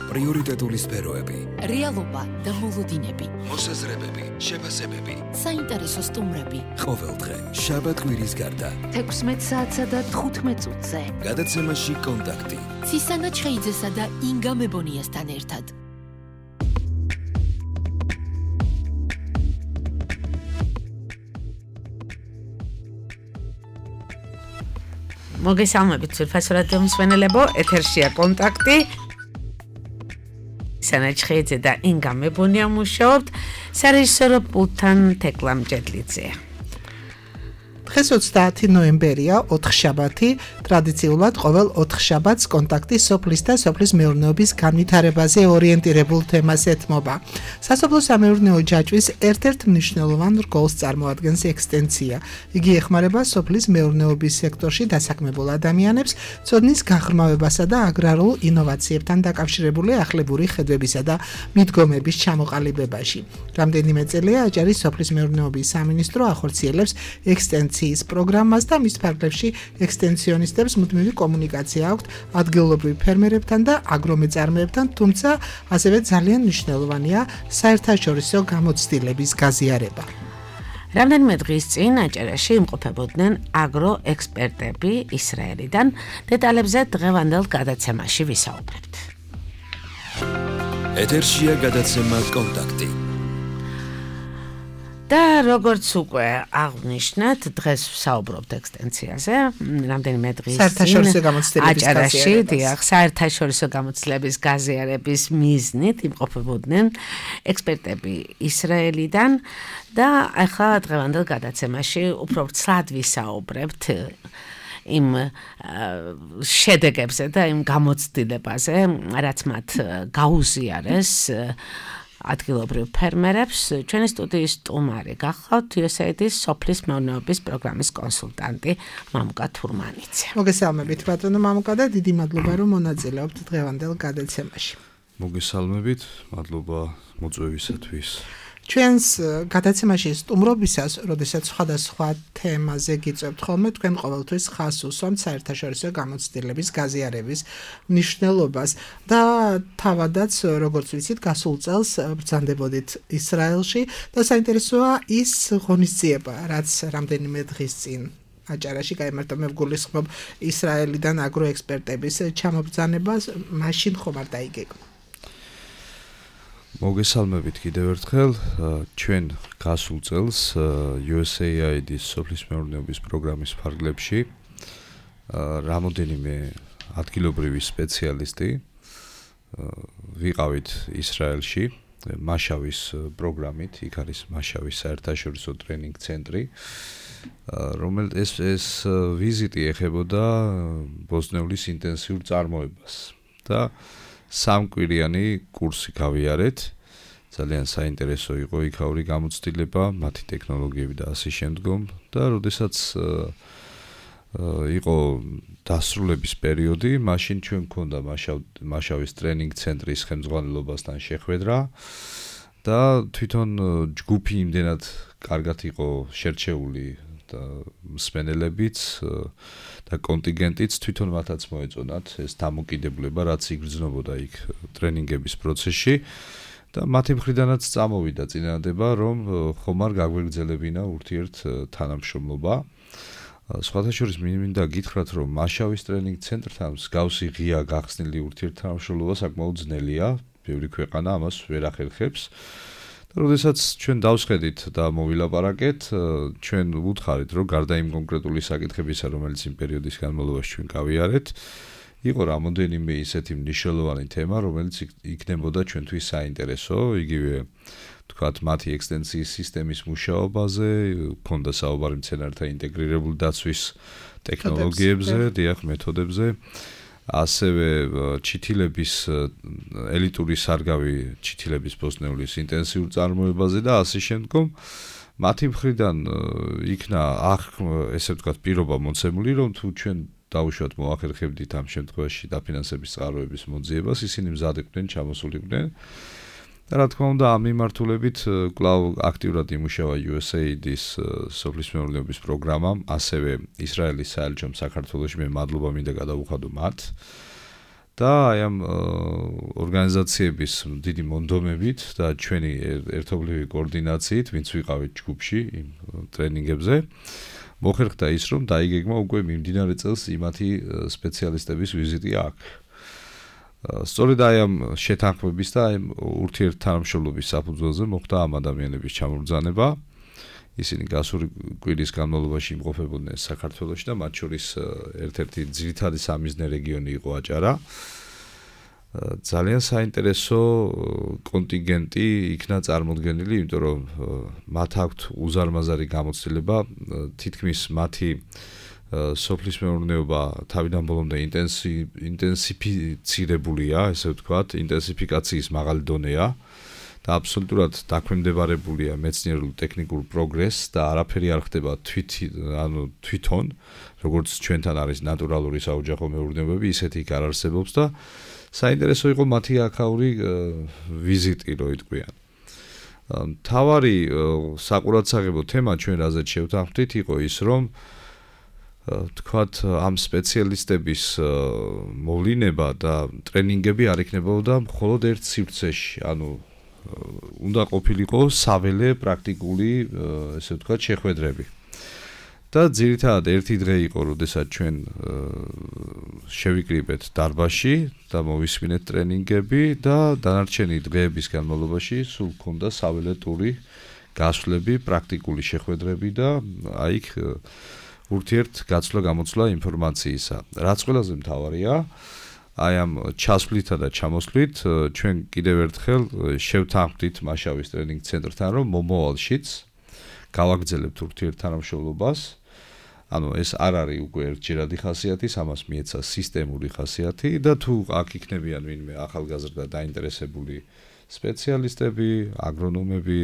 პრიორიტეტული სფეროები, რეალობა და მოლოდინები, მოსაზრებები, შეფასებები, საინტერესო სტუმრები. ყოველდღე, შაბათ-კვირის გარდა, 16 საათსა და 15 წუთზე. გადაცემაში კონტაქტი. ცისანა ჩხეიძესა და ინგა მებონიასთან ერთად. მოგესალმებით ძვირფასო რადიო მსმენელებო, ეთერშია კონტაქტი. ცისანა ჩხეიძე და ინგა მებონია მუშაობთ სარეჟისორო პულტთან თეკლა მჭედლიძეა. დღეს 30 ნოემბერია, ოთხშაბათი, ტრადიციულად ყოველ ოთხშაბათს კონტაქტი სოფლის და სოფლის მეურნეობის განვითარებაზე ორიენტირებულ თემას ეთმობა. სასოფლო-სამეურნეო ჯაჭვის ერთ-ერთ მნიშვნელოვან რგოლს წარმოადგენს ექსტენცია. იგი ეხმარება სოფლის მეურნეობის სექტორში დასაქმებულ ადამიანებს ცოდნის გაღრმავებასა და აგრარულ ინოვაციებთან დაკავშირებული ახლებური ხედვებისა და მიდგომების ჩამოყალიბებაში. რამდენიმე წელია აჭარის სოფლის მეურნეობის სამინისტრო ახორციელებს ექსტენციის პროგრამას და მის ფარგლებში ექსტენციონისტებს მუდმივი კომუნიკაცია აქვთ ადგილობრივ ფერმერებთან და აგრომეწარმეებთან, თუმცა ასევე ძალიან მნიშვნელოვანია საერთაშორისო გამოცდილების გაზიარება. რამდენიმე დღის წინ აჭარაში იმყოფებოდნენ აგროექსპერტები ისრაელიდან. დეტალებზე დღევანდელ გადაცემაში ვისაუბრებთ. ეთერშია გადაცემა კონტაქტი. და როგორც უკვე აღვნიშნეთ, დღეს ვსაუბრობთ ექსტენციაზე. რამდენიმე დღის წინ აჭარაში საერთაშორისო გამოცდილების გაზიარების მიზნით იმყოფებოდნენ ექსპერტები ისრაელიდან და ახლა დღევანდელ გადაცემაში უფრო ცრად ვისაუბრებთ იმ შედეგებზე და იმ გამოცდილებაზე, რაც მათ გაუზიარეს ადგილობრივ ფერმერებს. ჩვენი სტუდიის სტუმარი გახლავთ USAID-ის სოფლის მეურნეობის პროგრამის კონსულტანტი მამუკა თურმანიძე. მოგესალმებით ბატონო მამუკა და დიდი მადლობა რომ მონაწილეობთ დღევანდელ გადაცემაში. მოგესალმებით, მადლობა მოწვევისათვის. ჩვენს გადაცემაში სტუმრობისას, როდესაც სხვადასხვა თემაზე გიწევთ ხოლმე, თქვენ ყოველთვის ხაზს უსვამთ საერთაშორისო გამოცდილების გაზიარების მნიშვნელობას და თავადაც, როგორც ვიცით, გასულ წელს ბრძანდებოდით ისრაელში და საინტერესოა ის ღონისძიება, რაც რამდენიმე დღის წინ აჭარაში გაიმართა. მე ვგულისხმობ ისრაელიდან აგროექსპერტების ჩამობრძანებას, მაშინ ხომ არ დაიგეგმა. მოგესალმებით კიდევ ერთხელ. ჩვენ გასულ წელს USAID-ის სოფლის მეურნეობის პროგრამის ფარგლებში რამოდენიმე ადგილობრივი სპეციალისტი ვიყავით ისრაელში მაშავის პროგრამით. იქ არის მაშავის საერთაშორისო ტრენინგ ცენტრი, რომელიც ეს ვიზიტი ეხებოდა ბოსტნეულის ინტენსიურ წარმოებას და სამკვირიანი კურსი გავიარეთ. ძალიან საინტერესო იყო იქაური გამოცდილება, მათი ტექნოლოგიები და ასე შემდგომ და როდესაც იყო დასრულების პერიოდი, მაშინ ჩვენ გქონდა მაშავის ტრენინგ ცენტრის ხელმძღვანელობასთან შეხვედრა და თვითონ ჯგუფი იმდენად კარგად იყო შერჩეული და მსმენელებიც და კონტინგენტიც თვითონ მათაც მოეწონათ ეს დამოკიდებულება, რაც იგრძნობოდა იქ ტრენინგების პროცესში და მათი მხრიდანაც წამოვიდა წინადადება, რომ ხომ არ გაგვეგრძელებინა ურთიერთ თანამშრომლობა. სხვათა შორის მინდა გითხრათ, რომ მაშავის ტრენინგ ცენტრთან მსგავსი ღია გახსნილი ურთიერთთანამშრომლობა საკმაოდ ძნელია, ბევრი ქვეყანა ამას ვერ ახერხებს. როდესაც ჩვენ დავსხედით და მოვილაპარაკეთ, ჩვენ ვუთხარით, რომ გარდა იმ კონკრეტული საკითხებისა, რომელიც იმ პერიოდის განმავლობაში ჩვენ გავიარეთ, იყო რამოდენიმე ისეთი მნიშვნელოვანი თემა, რომელიც იქნებოდა ჩვენთვის საინტერესო, იგივე თქვათ მათი ექსტენციის სისტემის მუშაობაზე, ქონდა საუბარი მცენარეთა ინტეგრირებული დაცვის ტექნოლოგიებზე, დიახ, მეთოდებზე. ასევე ჩითილების ელიტური სარგავი ჩითილების ბოსტნეულის ინტენსიურ წარმოებაზე და ასე შემდგომ. მათი მხრიდან იქნა ესე ვთქვათ პირობა მოცემული, რომ თუ ჩვენ დაუშვათ მოახერხებდით ამ შემთხვევაში დაფინანსების წყაროების მოძიებას, ისინი მზად იყვნენ, ჩამოსულიყვნენ. და რა თქმა უნდა, ამ მიმართულებით კვლავ აქტიურად იმუშავა USAID-ის სოფლის მეურნეობის პროგრამამ, ასევე ისრაელის საელჩომ საქართველოში. მე მადლობა მინდა გადავუხადო მათ. და აი ამ ორგანიზაციების დიდი მონდომებით და ჩვენი ერთობლივი კოორდინაციით, ვინც ვიყავით ჯგუფში იმ ტრენინგებზე, მოხერხდა ის, რომ დაიგეგმა უკვე მიმდინარე წელს იმათი სპეციალისტების ვიზიტი აქ. სწორედ აი ამ შეთანხმების და აი ურთიერთთანამშრომლობის საფუძველზე მოხდა ამ ადამიანების ჩამობრძანება. ისინი გასული კვირის განმავლობაში იმყოფებოდნენ საქართველოში და მათ შორის ერთ-ერთი ძირითადი სამიზნე რეგიონი იყო აჭარა. ძალიან საინტერესო კონტინგენტი იქნა წარმოდგენილი, იმიტომ რომ მათ აქვთ უზარმაზარი გამოცდილება, თითქმის მათი სოფლის მეურნეობა თავიდან ბოლომდე ინტენსიფიცირებულია, ესე ვთქვათ, ინტენსიფიკაციის მაღალი დონეა. და აბსოლუტურად დაქვემდებარებულია მეცნიერულ ტექნიკურ პროგრესს და არაფერი არ ხდება თვითონ, როგორც ჩვენთან არის ნატურალური საოჯახო მეურნეობები, ისეთი იქ არ არსებობს და საინტერესო იყო მათი აქაური ვიზიტი, რო იტყვიან. მთავარი საყურადსაღებო თემა ჩვენ რაზეც შევთანხმდით იყო ის, რომ თქვათ ამ სპეციალისტების მოვლინება და ტრენინგები არ იქნებოდა მხოლოდ ერთ სივრცეში, ანუ უნდა ყოფილიყო საველე პრაქტიკული, ესე ვთქვათ, შეხვედრები. და ძირითადად ერთი დღე იყო, როდესაც ჩვენ შევიკრიბეთ დარბაზში და მოვისმინეთ ტრენინგები და დანარჩენი დღეების განმავლობაში სულ ჰქონდა საველე ტური, გასვლები, პრაქტიკული შეხვედრები და აი იქ ურთიერთგაცვლა-გამოცვლა ინფორმაციისა. რაც ყველაზე მთავარია, აი ამ ჩასვლითა და ჩამოსვლით ჩვენ კიდევ ერთხელ შევთანხმდით მაშავის ტრენინგ ცენტრთან, რომ მომავალშიც გავაგრძელებთ ურთიერთთანამშრომლობას. ანუ ეს არ არის უკვე ერთჯერადი ხასიათი, ამას მიეცა სისტემური ხასიათი და თუ აქ იქნებიან ვინმე ახალგაზრდა დაინტერესებული სპეციალისტები, აგრონომები,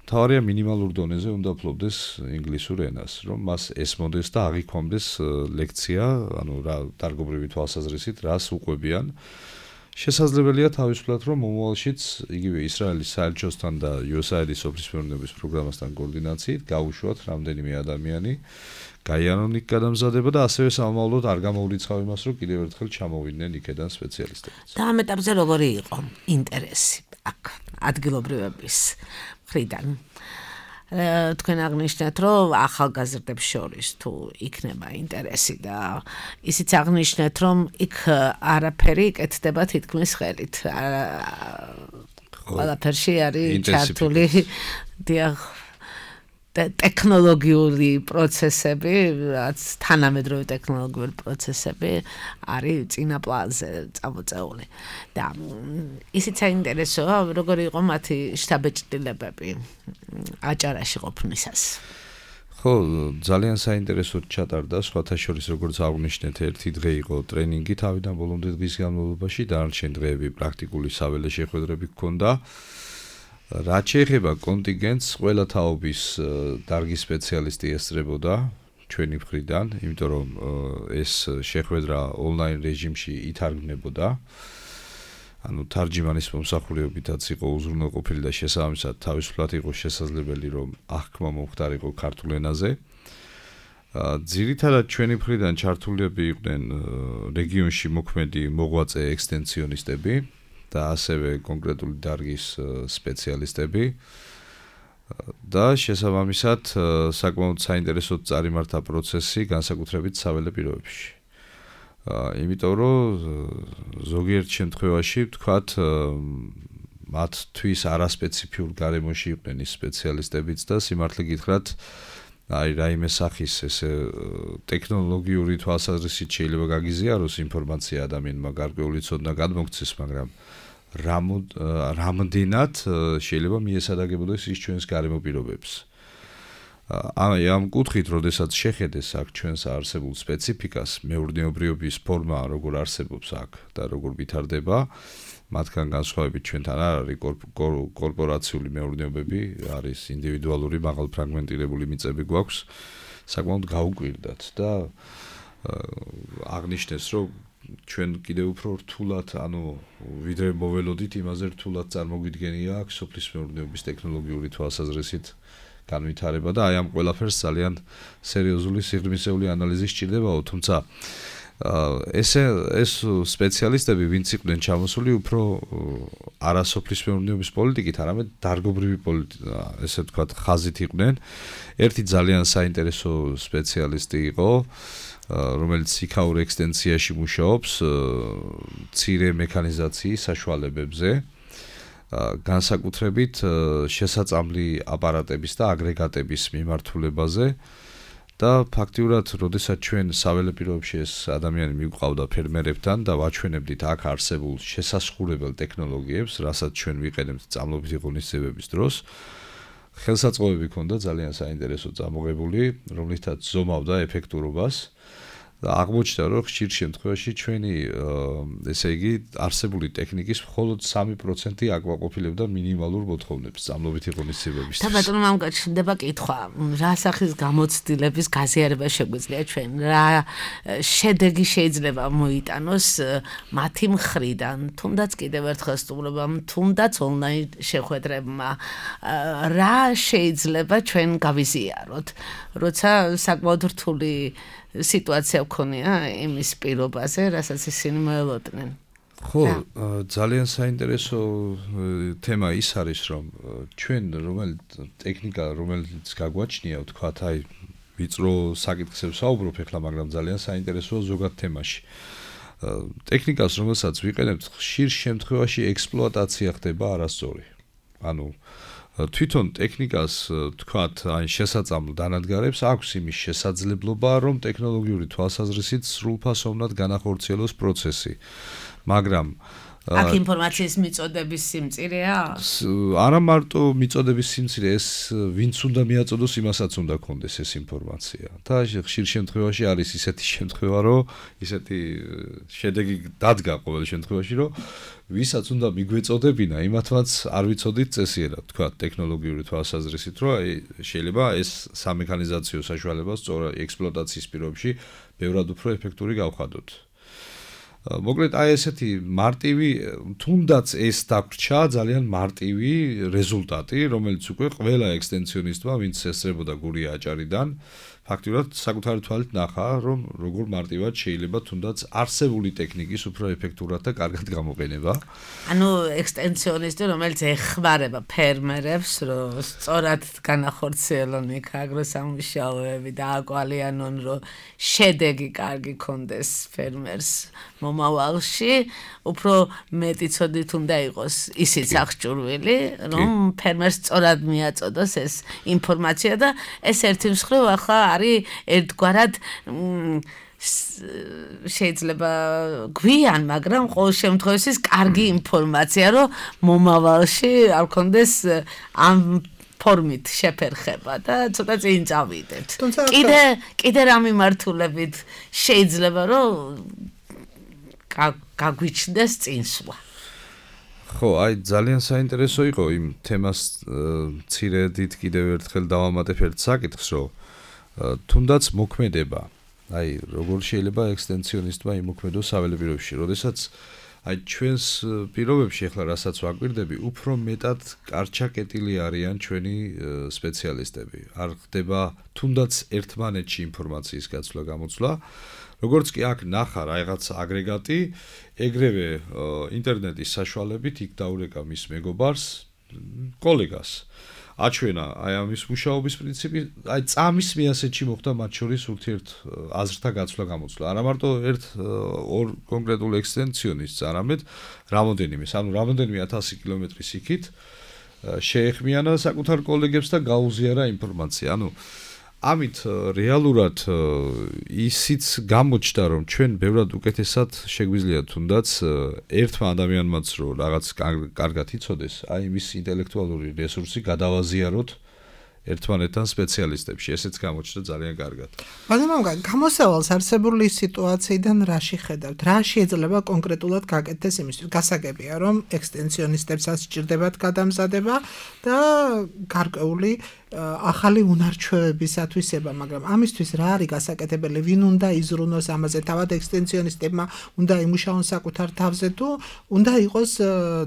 თავარია მინიმალურ დონეზე უნდა ფლობდეს ინგლისურ ენას, რომ მას ესმოდეს და აღიქვამდეს ლექცია, ანუ რა დარგობრივი თვალსაზრისით, რას უყვებიან. შესაძლებელია თავისუფლად, რომ მომავალშიც იგივე ისრაელის საელჩოსთან და USAID-ის სოფლის მეურნეობის პროგრამასთან კოორდინაციით გავუშვათ რამდენიმე ადამიანი, გაიარონ იქ გადამზადება და ასევე სამომავლოდ არ გამოვრიცხავ იმას, რომ კიდევ ერთხელ ჩამოვიდნენ იქედან სპეციალისტები. და ამ ეტაპზე როგორი იყო ინტერესი აქ ადგილობრივების მხრიდან? თქვენ აღნიშნეთ, რომ ახალგაზრდებს შორის თუ იქნება ინტერესი და ისიც აღნიშნეთ, რომ იქ არაფერი კეთდება თითქმის ხელით. ყველაფერში არის ჩართული დიახ ტექნოლოგიური პროცესები, რაც თანამედროვე ტექნოლოგიური პროცესები არის წინა პლანზე წამოწეული. და ისიც საინტერესოა, როგორი იყო მათი შთაბეჭდილებები აჭარაში ყოფნისას. ხო, ძალიან საინტერესოდ ჩატარდა, სხვათა შორის როგორც აღნიშნეთ, ერთი დღე იყო ტრენინგი თავიდან ბოლომდე დღის განმავლობაში, დანარჩენი დღეები პრაქტიკული საველე შეხვედრები ჰქონდა. რაც შეეხება კონტინგენტს, ყველა თაობის დარგის სპეციალისტი ესწრებოდა ჩვენი მხრიდან, იმიტომ რომ ეს შეხვედრა ონლაინ რეჟიმში ითარგმნებოდა. ანუ თარჯიმანის მომსახურებითაც იყო უზრუნველყოფილი და შესაბამისად თავისუფლად იყო შესაძლებელი, რომ აღქმა მომხდარიყო ქართულ ენაზე. ძირითადად ჩვენი მხრიდან ჩართულები იყვნენ რეგიონში მოქმედი მოღვაწე ექსტენსიონისტები და ასევე კონკრეტული დარგის სპეციალისტები და შესაბამისად საკმაოდ საინტერესოდ წარიმართა პროცესი განსაკუთრებით საველე პირობებში. იმიტომ რომ ზოგიერთ შემთხვევაში ვთქვათ მათთვის არასპეციფიურ გარემოში იყვნენ ის სპეციალისტებიც და სიმართლე გითხრათ აი რაიმე სახის ესე ტექნოლოგიური თვალსაზრისით შეიძლება გაგიზიაროს ინფორმაცია ადამიანმა გარკვეული ცოდნა გადმოგცეს, მაგრამ რამდენად შეიძლება მიესადაგებოდეს ის ჩვენს გარემო პირობებს. ამ კუთხით, როდესაც შეხედეს აქ ჩვენს არსებულ სპეციფიკას, მეურნეობრიობის ფორმა როგორ არსებობს აქ და როგორ ვითარდება, მათგან განსხვავებით ჩვენთან არ არის კორპორაციული მეურნეობები, არის ინდივიდუალური მაღალფრაგმენტირებული მიწები გვაქვს, საკმაოდ გაუკვირდათ და აღნიშნეს, რომ ჩვენ კიდევ უფრო რთულად, ანუ ვიდრე მოველოდით, იმაზე რთულად წარმოგვიდგენია აქ სოფლის მეურნეობის ტექნოლოგიური თვალსაზრისით განვითარება და აი ამ ყველაფერს ძალიან სერიოზული სიღრმისეული ანალიზი სჭირდებაო, თუმცა ეს სპეციალისტები, ვინც იყვნენ ჩამოსული უფრო არასოფლის მეურნეობის პოლიტიკით, არამედ დარგობრივი ესე ვთქვათ, ხაზით იყვნენ. ერთი ძალიან საინტერესო სპეციალისტი იყო, რომელიც იქაურ ექსტენციაში მუშაობს, მცირე მექანიზაციის საშუალებებზე, განსაკუთრებით შესაწამლი აპარატების და აგრეგატების მიმართულებაზე. და ფაქტიურად, როდესაც ჩვენ საველე პირობებში ეს ადამიანი მიგვყავდა ფერმერებთან და ვაჩვენებდით აქ არსებულ შესასხურებელ ტექნოლოგიებს, რასაც ჩვენ ვიყენებთ წამლობითი ღონისძიებების დროს, ხელსაწყოები ჰქონდა ძალიან საინტერესო წამოღებული, რომლითაც ზომავდა ეფექტურობას და აღმოჩნდა, რომ ხშირ შემთხვევაში ჩვენი ესე იგი არსებული ტექნიკის მხოლოდ 3% აკვაყოფილებდა მინიმალურ მოთხოვნებს წამლობითი ღონისძიებების. და ბატონო, მამკაც შენდება კითხვა, რა სახის გამოცდილების გაზიარება შეგვიძლია ჩვენ, რა შედეგი შეიძლება მოიტანოს მათი მხრიდან, თუნდაც კიდევ ერთხელ სტუმრობამ, თუნდაც ონლაინ შეხვედრებმა, რა შეიძლება ჩვენ გავიზიაროთ, როცა საკმაოდ რთული სიტუაცია გქონია იმის პირობაზე, რასაც ისინი მოელოდნენ. ხო, ძალიან საინტერესო თემა ის არის, რომ ჩვენ ტექნიკა, რომელიც გაგვაჩნია, ვთქვათ, აი, ვიწრო საკითხებს ვსაუბრობ ახლა, მაგრამ ძალიან საინტერესოა ზოგად თემაში. ტექნიკას, რომელსაც ვიყენებთ, ხშირ შემთხვევაში ექსპლუატაცია ხდება არასწორი. ანუ თვითონ ტექნიკას, თქვათ, აი შესაძამლ დანადგარებს აქვს იმის შესაძლებლობა, რომ ტექნოლოგიური თვალსაზრისით სრულფასოვნად განახორციელოს პროცესი. მაგრამ აქ ინფორმაციის მიწოდების სიმწირეა? არა მარტო მიწოდების სიმწირე, ეს ვინც უნდა მიაწოდოს, იმასაც უნდა ქონდეს ეს ინფორმაცია. და ხშირ შემთხვევაში არის ისეთი შემთხვევა, რომ ისეთი შედეგი დადგა ყოველ შემთხვევაში, რომ ვისაც უნდა მიგვეწოდებინა, იმათაც არ ვიცოდით წესიერად, თქვა ტექნოლოგიური თვალსაზრისით, რომ შეიძლება ეს სამექანიზაციო საშუალება სწორად ექსპლუატაციის პირობებში ბევრად უფრო ეფექტური გავხადოთ. მოკლედ აი ესეთი მარტივი, თუნდაც ეს დაგვრჩა ძალიან მარტივი რეზულტატი, რომელიც უკვე ყველა ექსტენციონისტმა, ვინც ესწრებოდა გურია აჭარიდან, ფაქტიურად საკუთარი თვალით ნახა, რომ როგორ მარტივად შეიძლება თუნდაც არსებული ტექნიკის უფრო ეფექტურად და კარგად გამოყენება. ანუ ექსტენციონისტი, რომელიც ეხმარება ფერმერებს, რომ სწორად განახორციელონ იქ აგროსამუშაოები და აკვალიანონ, რომ შედეგი კარგი კონდეს ფერმერს მომავალში, უფრო მეტი ცოდით უნდა იყოს ისიც აღჭურვილი, რომ ფერმერს სწორად მიაწოდოს ეს ინფორმაცია და ეს ერთი მსხრივ ახლა არის ერთგვარად შეიძლება გვიან, მაგრამ ყოველ შემთხვევაში კარგი ინფორმაცია, რომ მომავალში არ კონდეს ამ ფორმით შეფერხება და ცოტა წინ წავიდეთ. კიდე რა მიმართულებით შეიძლება რომ გაგვიჩნდეს წინსვლა. ხო, აი ძალიან საინტერესო იყო იმ თემას მცირედით კიდევ ერთხელ დავამატებ ერთ საკითხს, რომ თუნდაც მოქმედება, აი როგორ შეიძლება ექსტენციონისტმა იმოქმედოს საველე პირობებში, როდესაც აი ჩვენს პირობებში ახლა რასაც ვაკვირდები, უფრო მეტად კარჩაკეტილი არიან ჩვენი სპეციალისტები. არ ხდება თუნდაც ერთმანეთში ინფორმაციის გაცვლა გამოცვლა. როგორც კი აქ ნახა რაღაც აგრეგატი, ეგრევე ინტერნეტის საშუალებით იქ დაურეკა მის მეგობარს, კოლეგას. აჩვენა აი ამის მუშაობის პრინციპი, აი წამის მიასეთში მოხდა მათ შორის ურთიერთ აზრთა გაცვლა გამოცვლა. არა მარტო ერთ ორ კონკრეტულ ექსტენციონისტს, არამედ რამოდენიმეს, ანუ რამოდენიმე 1000 კილომეტრის იქით შეეხმიანა საკუთარ კოლეგებს და გაუზიარა ინფორმაცია. ანუ ამით რეალურად ისიც გამოჩნდა, რომ ჩვენ ბევრად უკეთესად შეგვიძლია თუნდაც ერთმა ადამიანმაც რო რაღაც კარგად იცოდეს, აი მის ინტელექტუალური რესურსი გადავაზიაროთ ერთმანეთთან სპეციალისტებში, ესეც გამოჩნდა ძალიან კარგად. მაგრამ გამოსავალს არსებული სიტუაციიდან რა შეხედავთ? რა შეიძლება კონკრეტულად გაკეთდეს იმისთვის? გასაგებია, რომ ექსტენციონისტებსაც სჭირდებათ გადამზადება და გარკვეული ახალი უნარჩვევებისათვისება, მაგრამ ამისთვის რა არის გასაკეთებელი, ვინ უნდა იზრუნოს ამაზე, თავად ექსტენსიონისტებმა უნდა იმუშაონ საკუთარ თავზე თუ უნდა იყოს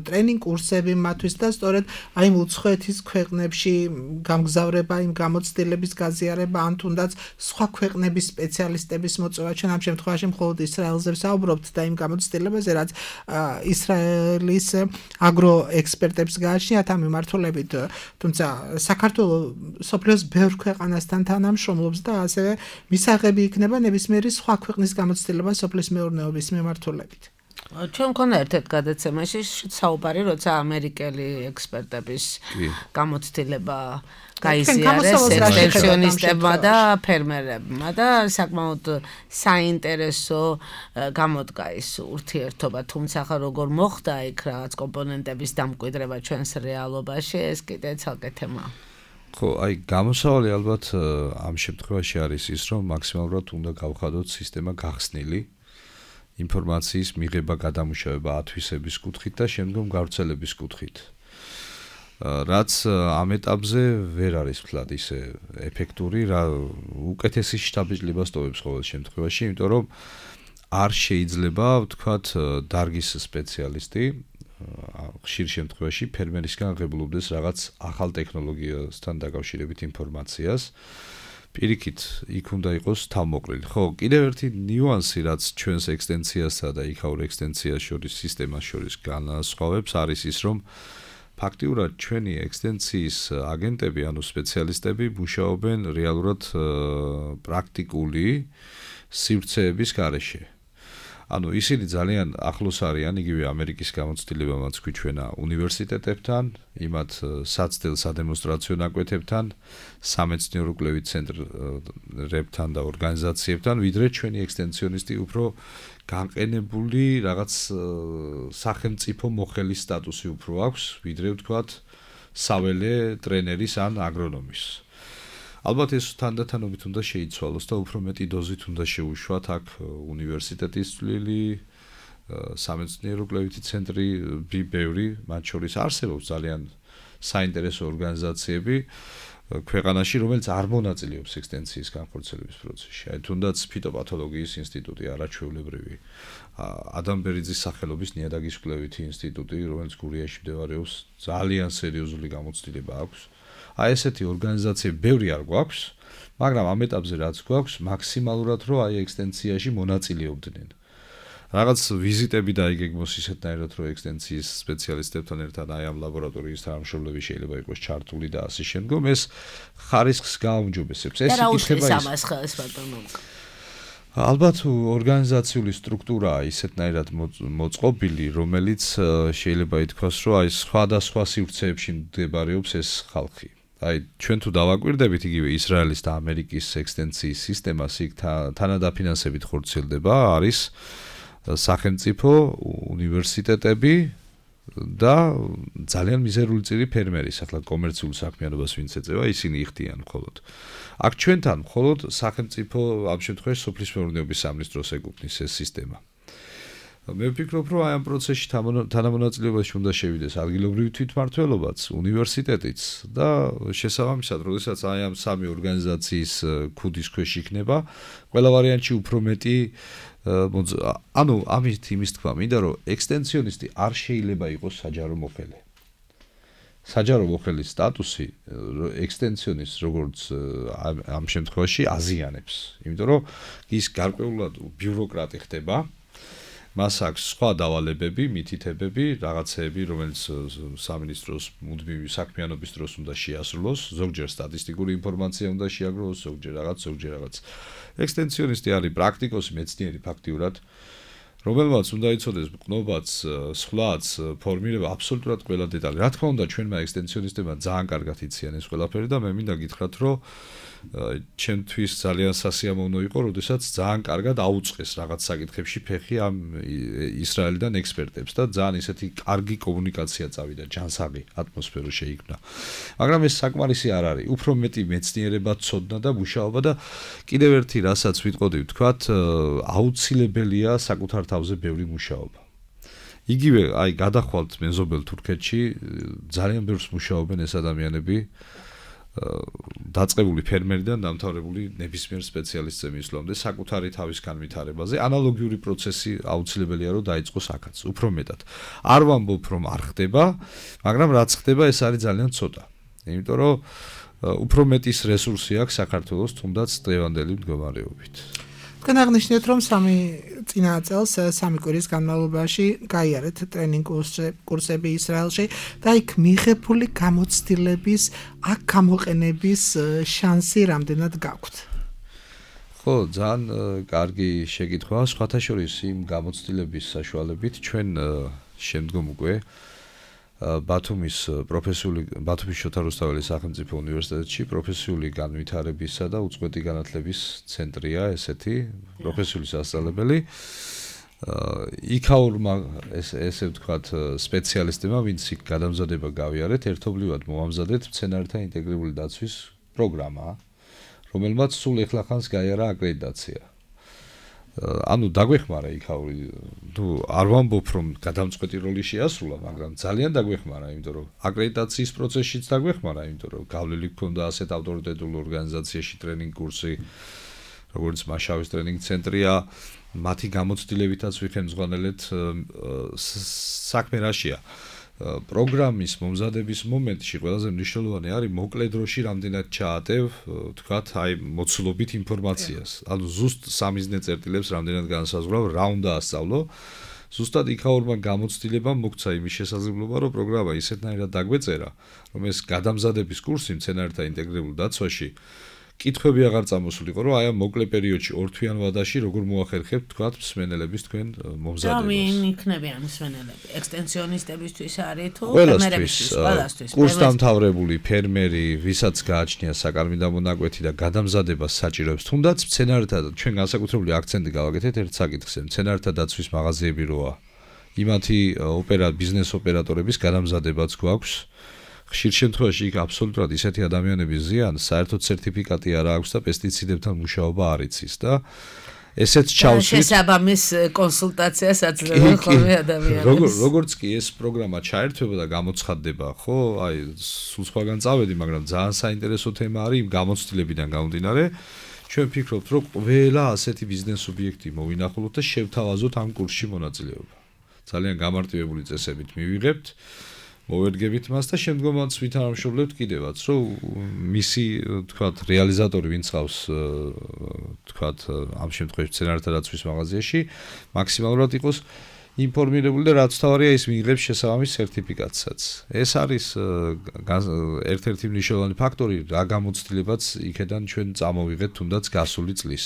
ტრენინგ კურსები მათთვის და სწორედ აი უცხოეთის ქვეყნებში გამგზავრება, იმ გამოცდილების გაზიარება, ან თუნდაც სხვა ქვეყნების სპეციალისტების მოწვევა. ჩვენ ამ შემთხვევაში მხოლოდ ისრაელზე ვსაუბრობთ და იმ გამოცდილებაზე, რაც ისრაელის აგროექსპერტებს გააჩნიათ ამ მიმართულებით, თუმცა საქართველოს სოფლიოს ბევრ ქვეყანასთან თანამშრომლობს და ასევე მისაღები იქნება ნებისმიერი სხვა ქვეყნის გამოცდილება სოფლის მეურნეობის მიმართულებით. ჩვენ მქონდა ერთ-ერთ გადაცემაში საუბარი, როცა ამერიკელი ექსპერტების გამოცდილება გაიზიარეს ექსტენსიონისტებმა და ფერმერებმა და საკმაოდ საინტერესო გამოდგა ის ურთიერთობა, თუმცა ხა როგორ მოხდა იქ რაღაც კომპონენტების დამკვიდრება ჩვენს რეალობაში, ეს კიდე ცალკე თემაა. ხო, აი გამოსავალი ალბათ ამ შემთხვევაში არის ის, რომ მაქსიმალურად უნდა გავხადოთ სისტემა გახსნილი ინფორმაციის მიღება, გადამუშავება, ათვისების კუთხით და შემდგომ გავრცელების კუთხით. რაც ამ ეტაპზე ვერ არის ვთქვათ ისე ეფექტური, რა უკეთესი შთაბეჭდილება სტოვებს ყოველ შემთხვევაში, იმიტომ რომ არ შეიძლება ვთქვათ დარგის სპეციალისტი ხშირ შემთხვევაში ფერმერისგან ღებულობდეს რაღაც ახალ ტექნოლოგიასთან დაკავშირებით ინფორმაციას. პირიქით, იქ უნდა იყოს თავმოყრილი. ხო, კიდევ ერთი ნიუანსი, რაც ჩვენს ექსტენსიასა და იქაურ ექსტენსიას შორის სისტემას შორის განასხვავებს, არის ის, რომ ფაქტიურად ჩვენი ექსტენსიის აგენტები, ანუ სპეციალისტები მუშაობენ რეალურად პრაქტიკული სივრცეების გარეშე. ანუ ისინი ძალიან ახლოს არიან იგივე ამერიკის გამოცდილებამაც გვიჩვენა უნივერსიტეტებთან, იმათ საცდელ სადემონსტრაციო ნაკვეთებთან, სამეცნიერო კვლევით ცენტრებთან და ორგანიზაციებთან, ვიდრე ჩვენი ექსტენსიონისტი უფრო განყენებული რაღაც სახელმწიფო მოხელის სტატუსი უფრო აქვს, ვიდრე ვთქვათ საველე ტრენერის ან აგრონომის. ალბათ ეს თანდათანობით უნდა შეიცვალოს და უფრო მეტი დოზით უნდა შეუშვათ აქ უნივერსიტეტის წვლილი, სამეცნიერო კვლევითი ცენტრი, ბევრი, მათ შორის არსებობს ძალიან საინტერესო ორგანიზაციები ქვეყანაში, რომელიც არ მონაწილეობს ექსტენსიის განხორციელების პროცესში. აი თუნდაც ფიტოპათოლოგიის ინსტიტუტი, არაჩვეულებრივი, ადამ ბერიძის სახელობის ნიადაგის კვლევითი ინსტიტუტი, რომელიც გურიაში მდებარეობს, ძალიან სერიოზული გამოცდილება აქვს. აი ესეთი ორგანიზაციები ბევრი არ გვაქვს, მაგრამ ამ ეტაპზე რაც გვაქვს, მაქსიმალურად რომ აი ექსტენსიაში მონაწილეობდნენ. რაღაც ვიზიტები დაიგეგმოს ისეთნაირად, რომ ექსტენსიის სპეციალისტებთან ერთად აი ამ ლაბორატორიის თანამშრომლები შეიძლება იყოს ჩართული და ასე შემდგომ, ეს ხარისხს გააუმჯობესებს. ეს იკითხება ის. ალბათ ორგანიზაციული სტრუქტურაა ისეთნაირად მოწყობილი, რომელიც შეიძლება ითქვას, რომ აი სხვადასხვა სივრცეებში მდებარეობს ეს ხალხი. აი ჩვენ თუ დავაკვირდებით იგივე ისრაელის და ამერიკის ექსტენსიის სისტემას, იქ თანადაფინანსებით ხორციელდება, არის სახელმწიფო უნივერსიტეტები და ძალიან მიზერული წილი ფერმერის, ახლა კომერციულ საქმიანობას ვინც ეწევა, ისინი იხდიან მხოლოდ. აქ ჩვენთან მხოლოდ სახელმწიფო ამ შემთხვევაში სოფლის მეურნეობის სამინისტროს ეკუთვნის ეს სისტემა. მე ვფიქრობ, რომ აი ამ პროცესში თანამონაწილეობაში უნდა შევიდეს ადგილობრივი თვითმმართველობაც, უნივერსიტეტიც და შესაბამისად, როდესაც აი ამ სამი ორგანიზაციის ქუდის ქვეშ იქნება, ყველა ვარიანტში უფრო მეტი ანუ ამით იმის თქვა მინდა, რომ ექსტენსიონისტი არ შეიძლება იყოს საჯარო მოხელე. საჯარო მოხელის სტატუსი ექსტენსიონისტს როგორც ამ შემთხვევაში აზიანებს, იმიტომ რომ ის გარკვეულად ბიუროკრატი ხდება. მას აქვს სხვა დავალებები, მითითებები, რაღაცეები, რომელიც სამინისტროს მუდმივი საქმიანობის დროს უნდა შეასრულოს, ზოგჯერ სტატისტიკური ინფორმაცია უნდა შეაგროვოს, ზოგჯერ რაღაც. ექსტენსიონისტი არის პრაქტიკოსი, მეცნიერი ფაქტიურად, რომელმაც უნდა იცოდეს მყნობაც, სხვაც, ფორმირება აბსოლუტურად ყველა დეტალი. რა თქმა უნდა, ჩვენმა ექსტენსიონისტებმა ძალიან კარგად იციან ეს ყველაფერი და მე მინდა გითხრათ, რომ ჩემთვის ძალიან სასიამოვნო იყო, როდესაც ძალიან კარგად აუწყეს რაღაც საკითხებში ფეხი ამ ისრაელიდან ექსპერტებს და ძალიან ისეთი კარგი კომუნიკაცია წავიდა, ჯანსაღი ატმოსფერო შეიქმნა. მაგრამ ეს საკმარისი არ არის. უფრო მეტი მეცნიერება, ცოდნა და მუშაობა და კიდევ ერთი რასაც ვიტყოდი ვთქვათ, აუცილებელია საკუთარ თავზე ბევრი მუშაობა. იგივე აი გადახვალთ მეზობელ თურქეთში ძალიან ბევრს მუშაობენ ეს ადამიანები დაწყებული ფერმერიდან დამთავრებული ნებისმიერ სპეციალისტზე მისვლამდე საკუთარი თავის განვითარებაზე ანალოგიური პროცესი აუცილებელია რომ დაიწყოს აქაც უფრო მეტად არ ვამბობ რომ არ ხდება მაგრამ რაც ხდება ეს არის ძალიან ცოტა იმიტომ რომ უფრო მეტის რესურსი აქვს საქართველოს თუნდაც დღევანდელი მდგომარეობით თქვენ აღნიშნეთ რომ წინა წელს 3 კვირის განმავლობაში გაიარეთ ტრენინგ კურსები ისრაელში და იქ მიღებული გამოცდილების აქ გამოყენების შანსი რამდენად გაქვთ? ხო, ძალიან კარგი შეკითხვაა. სხვათა შორის იმ გამოცდილების საშუალებით ჩვენ შემდგომ უკვე ბათუმის შოთა რუსთაველის სახელმწიფო უნივერსიტეტში პროფესიული განვითარებისა და უწყვეტი განათლების ცენტრია ესეთი პროფესიული სასწავლებელი. იქაურმა ესე ვთქვათ სპეციალისტებმა, ვინც იქ გადამზადება გავიარეთ, ერთობლივად მოამზადეთ მცენარეთა ინტეგრირებული დაცვის პროგრამა, რომელმაც სულ ეხლახანს გაიარა აკრედიტაცია. ანუ დაგვეხმარა იქაური არ ვამბობ რომ გადამწყვეტი როლი შეასრულა მაგრამ ძალიან დაგვეხმარა იმიტომ რომ აკრედიტაციის პროცესშიც დაგვეხმარა იმიტომ რომ გავლილი გქონდა ასეთ ავტორიტეტულ ორგანიზაციაში ტრენინგ კურსი როგორც მაშავის ტრენინგ ცენტრია მათი გამოცდილებითაც ვიხელმძღვანელეთ საქმე რაშია პროგრამის მომზადების მომენტში ყველაზე მნიშვნელოვანი არის მოკლე დროში რამდენად ჩაატევ თქვათ აი მოცულობით ინფორმაციას ანუ ზუსტ სამიზნე წერტილებს რამდენად განსაზღვრავ რა უნდა ასწავლო ზუსტად იქაურმა გამოცდილებამ მოგცა იმის შესაძლებლობა რომ პროგრამა ისეთნაირად დაგვეწერა რომ ეს გადამზადების კურსი მცენარეთა ინტეგრირებულ დაცვაში კითხვები აღარ წამოსულიყო რომ აი ამ მოკლე პერიოდში ორთვიან ვადაში როგორ მოახერხებთ თქვათ მსმენელების თქვენ მომზადებას. და ვინ იქნებიან მსმენელები? ექსტენსიონისტებისთვის არის თუ ფერმერებისთვის? ყველასთვის. კურსდამთავრებული ფერმერი, ვისაც გააჩნია საკარმიდო მონაკვეთი და გადამზადებას საჭიროებს, თუნდაც მცენარეთა ჩვენ განსაკუთრებული აქცენტი გავაკეთეთ ერთ საკითხზე, მცენარეთა დაცვის მაღაზიები როა. იმათი ბიზნეს ოპერატორების გადამზადებაც გვაქვს. ხშირ შემთხვევაში იქ აბსოლუტურად ისეთი ადამიანების ზიანს საერთოდ სერტიფიკატი არ აქვს და პესტიციდებთან მუშაობა არ იცის და ესეც ჩავსვით შესაბამის კონსულტაციას აძლევენ ხოლმე ადამიანებს როგორც კი ეს პროგრამა ჩაერთვება და გამოცხადდება ხო აი სულ სხვაგან წავედი მაგრამ ძალიან საინტერესო თემა არის იმ გამოცდილებიდან გამომდინარე ჩვენ ვფიქრობთ რომ ყველა ასეთი ბიზნეს სუბიექტი მოვინახულოთ და შევთავაზოთ ამ კურსში მონაწილეობა ძალიან გამარტივებული წესებით მივიღებთ მოვერგებით მას და შემდგომაც ვითანამშრომლებთ კიდევაც რომ მისი თქვათ რეალიზატორი ვინც ყავს თქვათ ამ შემთხვევაში მცენარეთა დაცვის მაღაზიაში მაქსიმალურად იყოს ინფორმირებული და რაც თავარია ის მიიღებს შესაბამის სერტიფიკატსაც ეს არის ერთ-ერთი მნიშვნელოვანი ფაქტორი რა გამოცდილებაც იქედან ჩვენ წამოვიღეთ თუნდაც გასული წლის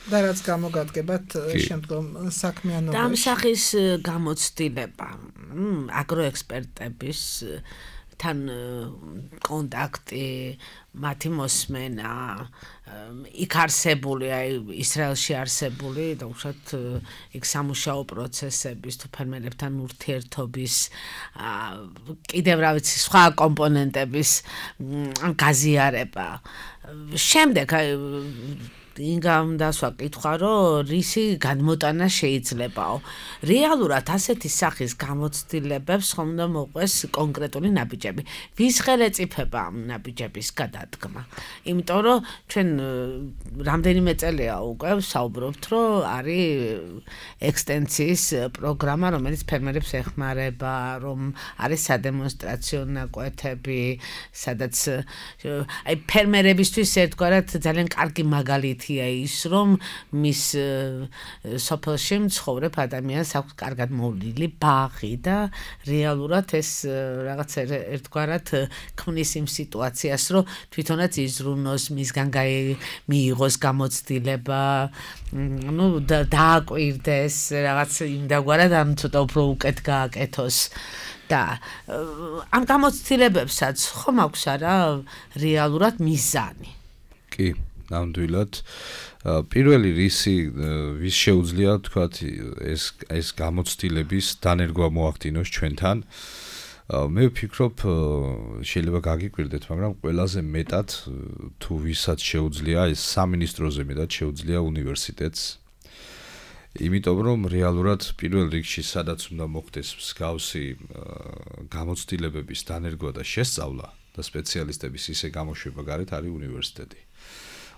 და რაც გამოგადგებათ შემდგომ საქმიანობაში. და ამ სახის გამოცდილება აგროექსპერტების თან კონტაქტი, მათი მოსმენა, იქ არსებული, აი ისრაელში არსებული და უშუალოდ იქ სამუშაო პროცესების თუ ფერმერებთან ურთიერთობის კიდევ რა ვიცი სხვა კომპონენტების გაზიარება. შემდეგ აი ინგამ დასვა კითხვა რომ რისი განმოტანა შეიძლებაო რეალურად ასეთი სახის გამოცდილებებს ხომ უნდა მოყვეს კონკრეტული ნაბიჯები ვის ხელეწიფება ამ ნაბიჯების გადადგმა იმიტომ რომ ჩვენ რამდენიმე წელია უკვე საუბრობთ რომ არის ექსტენსიის პროგრამა რომელიც ფერმერებს ეხმარება რომ არის სადემონსტრაციო ნაკვეთები სადაც აი ფერმერებისთვის ერთგვარად ძალიან კარგი მაგალითია ის რომ მის სოფელში მცხოვრებ ადამიანს აქვს კარგად მოვლილი ბაღი და რეალურად ეს რაღაც ერთგვარად ქმნის იმ სიტუაციას რომ თვითონაც იზრუნოს მისგან მიიღოს გამოცდილება ну დააკვირდეს რაღაც იმდაგვარად ამ ცოტა უფრო უკეთ გააკეთოს და ამ გამოცდილებებსაც ხომ აქვს არა რეალურად მიზანი კი ნამდვილად პირველი ვის შეუძლია თქვათ ეს გამოცდილების დანერგვა მოახდინოს ჩვენთან მე ვფიქრობ შეიძლება გაგიკვირდეთ მაგრამ ყველაზე მეტად თუ ვისაც შეუძლია ეს სამინისტროზე მეტად შეუძლია უნივერსიტეტს იმიტომ რომ რეალურად პირველ რიგში სადაც უნდა მოხდეს მსგავსი გამოცდილებების დანერგვა და შესწავლა და სპეციალისტების ისე გამოშვება გარეთ არის უნივერსიტეტი.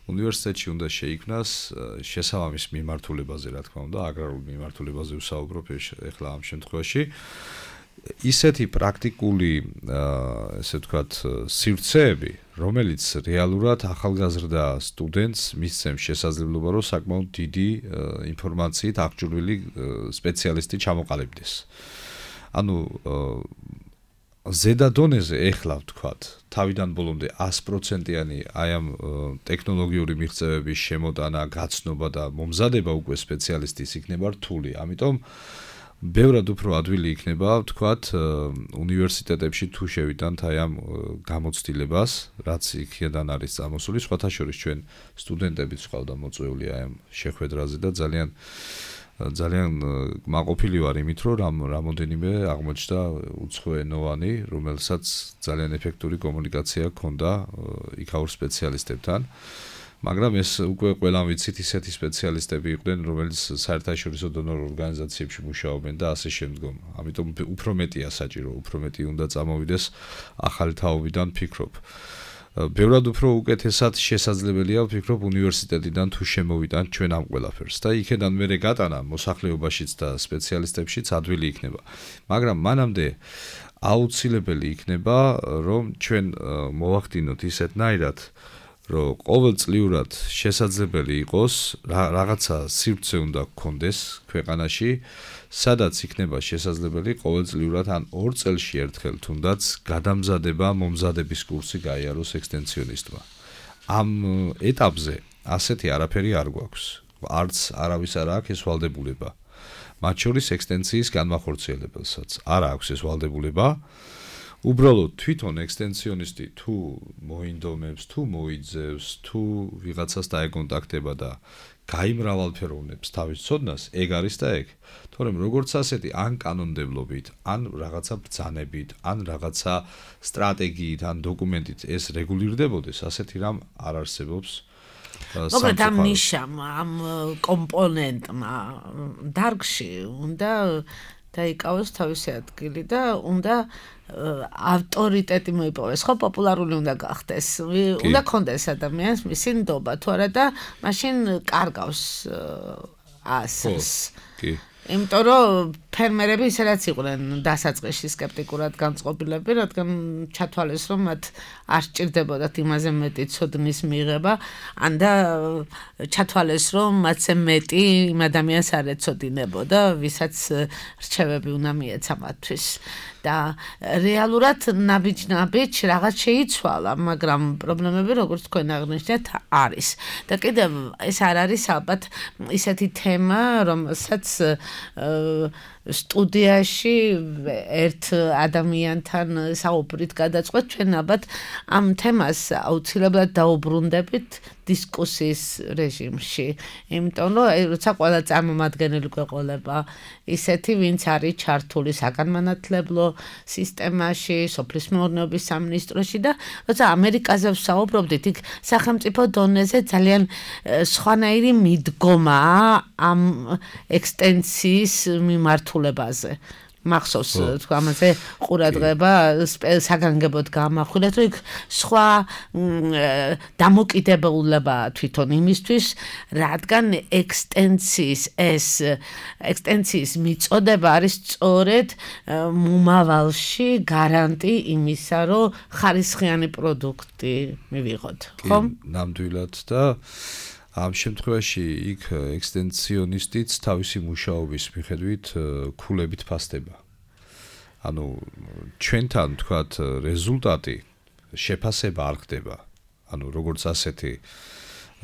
უნივერსიტეტში უნდა შეიქმნას შესაბამის მიმართულებაზე, რა თქმა უნდა, აგრარულ მიმართულებაზე ვსაუბრობ ეხლა ამ შემთხვევაში. ისეთი პრაქტიკული, ესე ვთქვათ, სივრცეები, რომელიც რეალურად ახალგაზრდა სტუდენტს მისცემს შესაძლებლობა, რომ საკმაოდ დიდი ინფორმაციით აღჭურვილი სპეციალისტი ჩამოყალიბდეს. ანუ ზედა დონეზე ეხლა ვთქვათ, თავიდან ბოლომდე 100%-იანი აი ამ ტექნოლოგიური მიღწევების შემოტანა, გაცნობა და მომზადება უკვე სპეციალისტის იქნება რთული. ამიტომ ბევრად უფრო ადვილი იქნება, ვთქვათ, უნივერსიტეტებში თუ შევიტანთ აი ამ გამოცდილებას, რაც იქიდან არის წამოსული, სხვათა შორის ჩვენ სტუდენტებიც ყავდა მოწვეული აი ამ შეხვედრაზე და ძალიან მაყოფილი ვარ იმით, რომ რამოდენიმე აღმოჩნდა უცხოენოვანი, რომელსაც ძალიან ეფექტური კომუნიკაცია ჰქონდა იქაურ სპეციალისტებთან. მაგრამ ეს უკვე ყველამ ვიცით, ისეთი სპეციალისტები იყვნენ, რომელიც საერთაშორისო დონორ ორგანიზაციებში მუშაობენ და ასე შემდგომ. ამიტომ უფრო მეტია საჭირო, უფრო მეტი უნდა წამოვიდეს ახალი თაობიდან, ფიქრობ. ბევრად უფრო უკეთესად შესაძლებელია, ვფიქრობ, უნივერსიტეტიდან თუ შემოვიტანთ ჩვენ ამ ყველაფერს და იქედან მერე გატანა მოსახლეობაშიც და სპეციალისტებშიც ადვილი იქნება. მაგრამ მანამდე აუცილებელი იქნება, რომ ჩვენ მოვახდინოთ ისეთნაირად, რომ ყოველწლიურად შესაძლებელი იყოს რაღაცა სივრცე უნდა გქონდეს ქვეყანაში, სადაც იქნება შესაძლებელი ყოველწლიურად ან 2 წელში ერთხელ თუნდაც გადამზადება, მომზადების კურსი გაიაროს ექსტენსიონისტმა. ამ ეტაპზე ასეთი არაფერი არ გვაქვს. არც არავის არ აქვს ეს ვალდებულება. მათ შორის ექსტენსიის განმახორციელებელსაც არ აქვს ეს ვალდებულება. უბრალოდ თვითონ ექსტენსიონისტი თუ მოინდომებს, თუ მოიძევს, თუ ვიღაცას დაეკონტაქტება და გაიმრავალფეროვნებს თავის ცოდნას, ეგ არის და ეგ. თორემ როგორც ასეთი ან კანონმდებლობით, ან რაღაცა ბრძანებით, ან რაღაცა სტრატეგიით, ან დოკუმენტით ეს რეგულირდებოდეს, ასეთი რამ არ არსებობს. მოკლედ ამ ნიშამ, ამ კომპონენტმა დარგში უნდა დაიკავოს თავისი ადგილი და უნდა ავტორიტეტი მოიპოვეს, ხო, პოპულარული უნდა გახდეს. უნდა კონდეს ადამიანს მისი ნდობა, თუ არა და მაშინ კარგავს ასას. კი. იმიტომ რომ ფერმერები ისედაც იყვნენ დასაწყისში სკეპტიკურად განწყობილები, რადგან ჩათვალეს, რომ მათ არ სჭირდებოდათ იმაზე მეტი ცოდნის მიღება, ან და ჩათვალეს, რომ მათზე მეტი იმ ადამიანს არ ეცოდინებოდა, ვისაც რჩევები უნდა მიეცა მათთვის. და რეალურად ნაბიჯ-ნაბიჯ რაღაც შეიცვალა, მაგრამ პრობლემები, როგორც თქვენ აღნიშნეთ, არის. და კიდევ ეს არ არის ალბათ ისეთი თემა, რომელსაც სტუდიაში ერთ ადამიანთან საუბრით გადაწყვეტ, ჩვენ ალბათ ამ თემას აუცილებლად დაუბრუნდებით დისკუსიის რეჟიმში. იმიტომ რომ როცა ყველა წარმომადგენელი გვეყოლება ისეთი, ვინც არის ჩართული საგანმანათლებლო სისტემაში, სოფლის მეურნეობის სამინისტროში და როცა ამერიკაზე ვსაუბრობდით, იქ სახელმწიფო დონეზე ძალიან სხვანაირი მიდგომაა ამ ექსტენსიის მიმართულებაზე. მახსოვს თქვა ამაზე ყურადღება საგანგებოდ გამახვილეთ, რომ იქ სხვა დამოკიდებულება თვითონ იმისთვის, რადგან ექსტენსიის მიწოდება არის სწორედ მომავალში გარანტი იმისა, რომ ხარისხიანი პროდუქტი მივიღოთ, ხო? ნამდვილად და ამ შემთხვევაში იქ ექსტენსიონისტიც თავისი მუშაობის მიხედვით ქულებით ფასდება. ანუ ჩვენთან თქვათ რეზულტატი შეფასება არ ხდება. ანუ როგორც ასეთი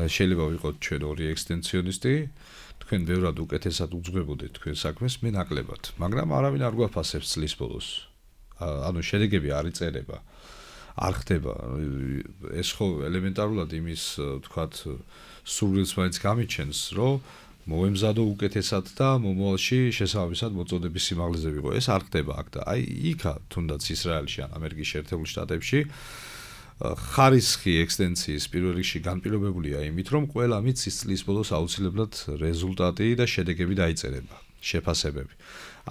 შეიძლება ვიყოთ ჩვენ ორი ექსტენსიონისტი, თქვენ ბევრად უკეთესად უძღვებოდეთ თქვენ საქმეს, მე ნაკლებად, მაგრამ არავინ არ გვაფასებს წლის ბოლოს. ანუ შედეგები არ იწერება. არ ხდება. ეს ხო ელემენტარულად იმის თქვათ სურვილს მაინც გამიჩენს, რომ მოემზადო უკეთესად და მომავალში შესაბამისად მოწოდების სიმაღლეზე ვიყო. ეს არ ხდება აქ და აი იქა თუნდაც ისრაელში ან ამერიკის შეერთებულ შტატებში ხარისხი ექსტენსიის პირველ რიგში განპირობებულია იმით, რომ ყველა მის წლის ბოლოს აუცილებლად რეზულტატი და შედეგები დაიწერება, შეფასებები.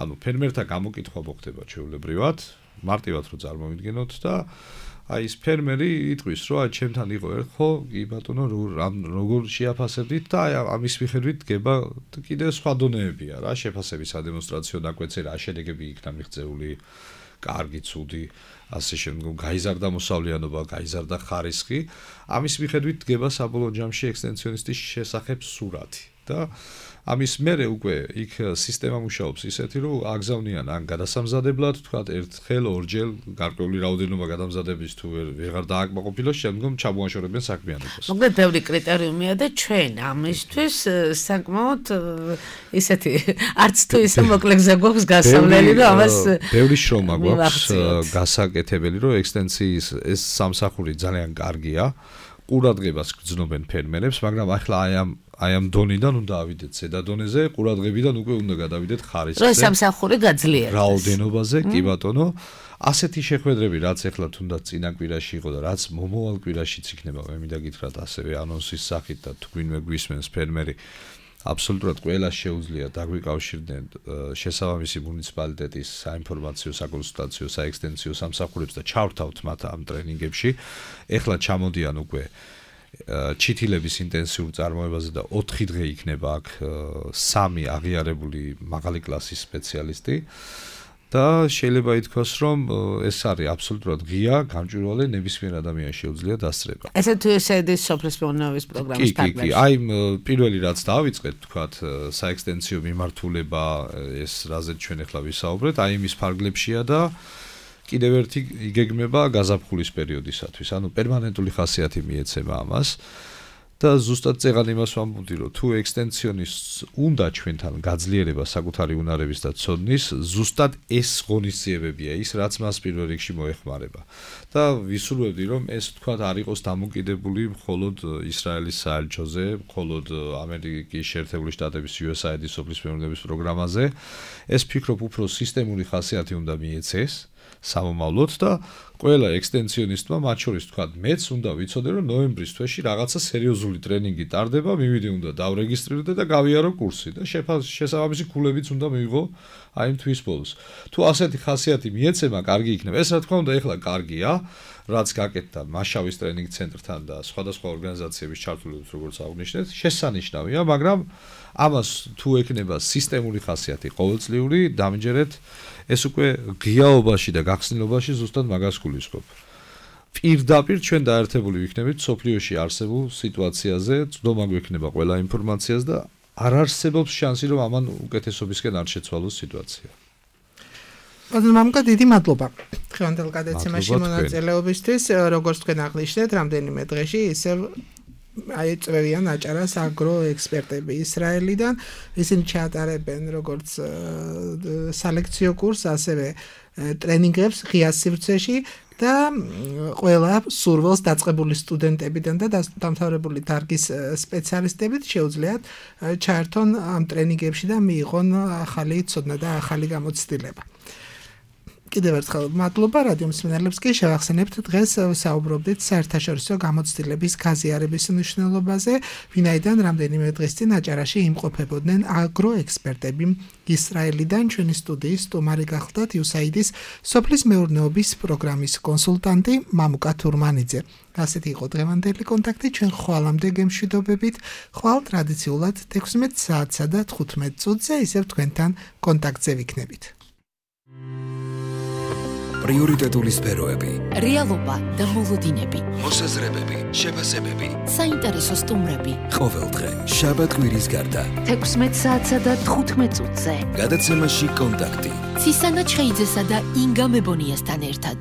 ანუ ფერმერთა გამოკითხვა მოხდება ჩვეულებრივად, მარტივად რო წარმოვიდგენოთ და აი ეს ფერმერი იტყვის, რომ აი ჩემთან იყო ხო, კი ბატონო, როგორ შეაფასებდით და აი ამის მიხედვით დგება კიდევ სხვა დონეებია რა, შეფასების ადემონსტრაციო დაკვეცე რა შედეგები იქნა მიღწეული, კარგი, ცუდი, ასე შემდგომ გაიზარდა მოსავლიანობა, გაიზარდა ხარისხი, ამის მიხედვით დგება საბოლოო ჯამში ექსტენსიონისტის შესახებ სურათი და ამის მერე უკვე იქ სისტემა მუშაობს ისეთი, რომ აგზავნიან ან გადასამზადებლად, თქვათ, ერთხელ, ორჯერ გარკვეული რაოდენობა გადამზადების თუ ვეღარ დააკმაყოფილოს, შემდგომ ჩამოაშორებენ საქმიანობას. მოკლედ, ბევრი კრიტერიუმია და ჩვენ ამისთვის საკმაოდ ისეთი არც თუ ისე მოკლე გზა გვაქვს გასავლელი, რომ ამას ბევრი შრომა გვაქვს გასაკეთებელი, რომ ექსტენსიის ეს სამსახური ძალიან კარგია. ყურადღებას გრძნობენ ფერმერებს, მაგრამ ახლა აი ამ დონიდან უნდა ავიდეთ ზედა დონეზე, ყურადღებიდან უკვე უნდა გადავიდეთ ხარისხზე. რომ სამსახური გაძლიერდეს. რაოდენობაზე, კი ბატონო, ასეთი შეხვედრები, რაც ახლა თუნდაც წინა კვირაში იყო და რაც მომავალ კვირაშიც იქნება, მე მინდა გითხრათ ასევე ანონსის სახით და თქვენვე გვისმენს ფერმერი აბსოლუტურად ყველა შეუძლია დაგვიკავშირდნენ შესაბამისი მუნიციპალიტეტის საინფორმაციო, საკონსულტაციო, საექსტენსიო სამსახურებს და ჩავრთავთ მათ ამ ტრენინგებში. ეხლა ჩამოდიან უკვე ჩითილების ინტენსიურ წარმოებაზე და 4 დღე იქნება აქ 3 აღიარებული მაღალი კლასის სპეციალისტი. და შეიძლება ითქვას, რომ ეს არის აბსოლუტურად ღია, გამჭვირვალე ნებისმიერ ადამიანს შეუძლია დასწრება. ესე თუ ესედის სოფლის მეურნეობის პროგრამის კი, თარგმნაში. აი პირველი რაც დავიწყეთ, თქვათ, საექსტენსიო მიმართულება, ეს რაზეც ჩვენ ახლა ვისაუბრეთ, აი იმის ფარგლებშია და კიდევ ერთი იგეგმება გაზაფხულის პერიოდისათვის. ანუ პერმანენტული ხასიათი მიეცემა ამას. და ზუსტად წეღან იმას ვამბობდი, რომ თუ ექსტენსიონისტს უნდა ჩვენთან გაძლიერება საკუთარი უნარების და ცოდნის, ზუსტად ეს ღონისძიებებია ის, რაც მას პირველ რიგში მოეხმარება. და ვისურვებდი, რომ ეს თქვათ არ იყოს დამოკიდებული მხოლოდ ისრაელის საელჩოზე, მხოლოდ ამერიკის შეერთებული შტატების USAID-ის სოფლის მეურნეობის პროგრამაზე. ეს ფიქრობ უფრო სისტემური ხასიათი უნდა მიეცეს სამომავლოდ და ყველა ექსტენსიონისტმა მათ შორის თქვათ მეც უნდა ვიცოდე რომ ნოემბრის თვეში რაღაცა სერიოზული ტრენინგი ტარდება, მივიდე უნდა დავრეგისტრირდე და გავიარო კურსი და შესაბამისი ქულებიც უნდა მივიღო აი იმ თვის ბოლოს. თუ ასეთი ხასიათი მიეცემა, კარგი იქნება. ეს რა თქმა უნდა ეხლა კარგია, რაც გაკეთდა მაშავის ტრენინგ ცენტრთან და სხვადასხვა ორგანიზაციების ჩართულობით, როგორც აღნიშნეთ, შესანიშნავია, მაგრამ ამას თუ ექნება სისტემური ხასიათი ყოველწლიური, დამჯერეთ ეს უკვე ღიაობაში და გახსნილობაში ზუსტად მაგას გულისხმობ. პირდაპირ ჩვენ დაერთებული ვიქნებით სოფლიოში არსებულ სიტუაციაზე, ცდომა გვექნება ყველა ინფორმაციას და არ არსებობს შანსი, რომ ამან უკეთესობისკენ არ შეცვალოს სიტუაცია. ბატონო მამუკა, დიდი მადლობა დღევანდელ გადაცემაში მონაწილეობისთვის. როგორც თქვენ აღნიშნეთ, რამდენიმე დღეში ისევ აიწევიან აჭარას აგროექსპერტები ისრაელიდან. ისინი ჩაატარებენ როგორც სალექციო კურსს, ასევე ტრენინგებს ღია სივრცეში და ყველა სურვილს დაწყებული სტუდენტებიდან და დამთავრებული დარგის სპეციალისტებით შეუძლიათ ჩაერთონ ამ ტრენინგებში და მიიღონ ახალი ცოდნა და ახალი გამოცდილება. კიდევ ერთხელ მადლობა რადიო მსმენელებს კი შევახსენებთ დღეს საუბრობდით საერთაშორისო გამოცდილების გაზიარების მნიშვნელობაზე, ვინაიდან რამდენიმე დღის წინ აჭარაში იმყოფებოდნენ აგროექსპერტები ისრაელიდან. ჩვენი სტუდიის სტუმარი გახლდათ USAID-ის სოფლის მეურნეობის პროგრამის კონსულტანტი მამუკა თურმანიძე. ასეთი იყო დღევანდელი კონტაქტი. ჩვენ ხვალამდე გემშვიდობებით, ხვალ ტრადიციულად 16 საათსა და 15 წუთზე ისევ თქვენთან კონტაქტზე ვიქნებით. პრიორიტეტული სფეროები, რეალობა და მოლოდინები, მოსაზრებები, შეფასებები, საინტერესო სტუმრები. ყოველდღე, შაბათ-კვირის გარდა. 16 საათსა და 15 წუთზე. გადაცემაში კონტაქტი. ცისანა ჩხეიძესა და ინგა მებონიასთან ერთად.